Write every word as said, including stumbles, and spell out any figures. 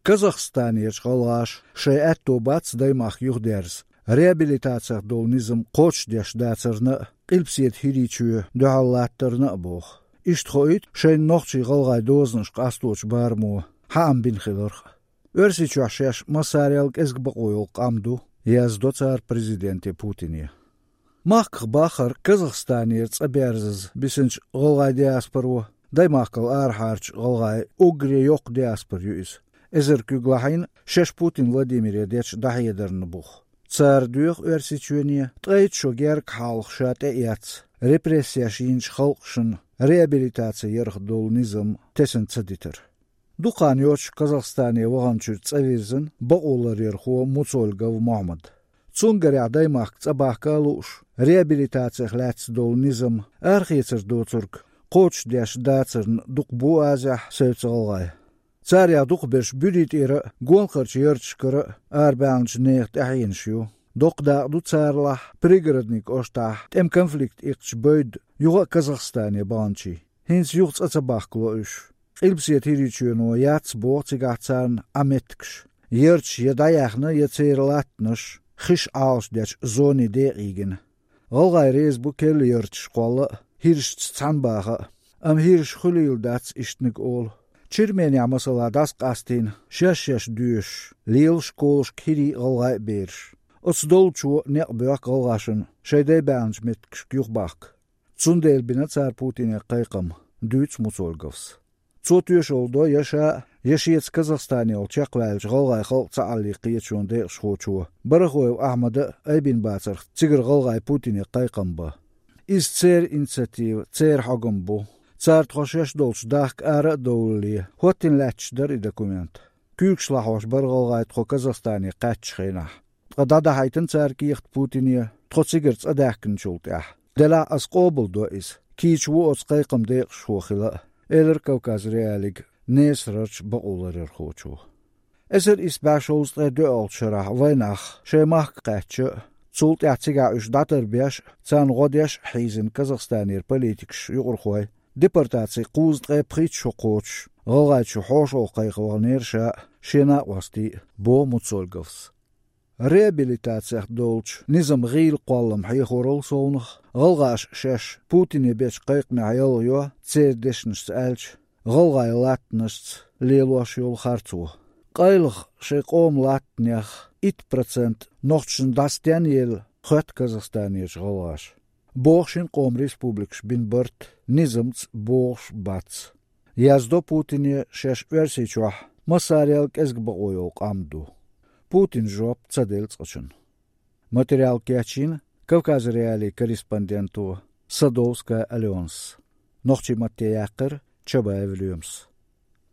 Казахстанерчу гӀалгӀаша шайн аьтто бац даймахка юхадерза реабилитацех долу низам кхочушдеш дацарна а, Къилбаседа ХӀирийчоь дуьхьал латтарна а боху. Иштта хоуьйту шайна нохчий-гӀалгӀай дозанаш къасточу барамо хьаам бина хиларх а. Оьрсийчохь шаьш массарел кӀезиг бакъо йолу къам ду, яздо цара президенте Путине. Махках баххара Казахстанера цӀа берзаза бисинчу гӀалгӀай диаспоро, даймахкал арахьарчу гӀалгӀай уггаре йоккха диаспора ю иза. Эзар куьг лахьийна шаьш Путин Владимире дечу дӀахьедарна буху. Цара доьху Оьрсийчоьне ткъе итт шо гергга хьалха ша тӀеэцна, репрессеш йинчу халкъашна реабилитаци ярх долу низам тесна ца дитар. Дукха хан йоцуш Казахстане ваханчуьра цӀа вирзина бакъоларъярхо Муцольгов Мохьмад. Цунна гарехь даймахка цӀа бахка а лууш, реабилитацех лаьцна долу низам арахецар доцург кхочушдеш дацарна дукха бу Азехь, севца гӀалгӀай. Царех дукхахберш буьри тӀера а, гонахарчу ярташкара а арабаьхначу нехан тӀаьхьенаш ю. Доккха дакъа ду царалахь Пригородный кӀоштахь тӀеман конфликт иккхачу бевдда юха а Казахстане баханчийн. ХӀинца юха цӀа ца бахкало уьш. Къилбаседа ХӀирийчоьно яц боху цигахь царна Ӏан меттигаш. Ярташ я дӀаяьхна, я церан латтанаш хиш Ӏалашдечу зоне декъий гина. ГӀалгӀай реза бу керла ярташ кхолла а, хӀирашца цхьаьна баха а. Амма хӀираш хуьлийла дац ишттаниг олу. Черменехь, масала, дӀасакъастийна шаьш-шаьш доьшуш, лела школашка хӀирийн а, гӀалгӀайн а бераш. Оцу долчо некъ боьхку гӀалгӀашна шайн дай баьхначу меттигашка юхабахка. Цундела бина цара Путине кхайкхам, дуьйцу Муцольговс. Цо тоьшалла до я ша а, я шеца Казахстане йолу чекхваьллачу гӀалгӀай халкъан цхьааллин кхеташонан декъашхочо Барахоев Ахьмада а айбина бацарх цигара гӀалгӀай Путине кхайкхам бан. Иза церан инициатива, церан хьогам бу. Цара тхо шаьш долчу дахка ара а довлале, хӀоттийна лаьтташ дара и документ. Куьйгаш лахьош бара гӀалгӀай тхо Казахстане кхаьчначу хенахь. Ткъа дӀадахьийтина цара кехат Путине тхо цигара цӀа даьхкинчул тӀаьхьа. Делахь аса къобалдо иза. Кийча ву оцу кхайкхаман декъашхо хила а, элира Кавказ.Реалиига Несарарчу бакъоларъярхочо. Эзар исс бӀе шовзткъе доьалгӀачу шарахь вайнах шайн махка кхаьчча а, цул тӀаьхьа цигахь уьш дӀатарбеш а, царна гӀо деш а хьийзина Казахстанера политикаш, юкъархой, депортацин кхузткъе пхийтта шо кхочуш, ГӀалгӀайчу хьошалгӀа кхайкха ваханера ша а, шен накъостий а, боху Муцольговс. Реабилитацех долчу низам гӀийла кхоллам хьехорал совнаха, гӀалгӀаша шаьш Путине бечу кхайкхамехь ялхайо, церан дешнашца аьлча, гӀалгӀайн латтанашца лелош йолу харцо. Къайлаха шайн къоман латтанех итт процент нохчашна дӀа стенна елла, хоьтту Казахстанерчу гӀалгӀаша. Боху шина къоман республикаша бина барт низамца богӀуш бац. Яздо Путине шаьш Оьрсийчохь массарел кӀезиг бакъо йолу къам ду. Путина жоп ца делла цкъачунна. Материал кечйина Кавказ.Реалиин корреспонденто Садовская Аленас. Нохчийн матте яьккхира Чабаев Лоьмас.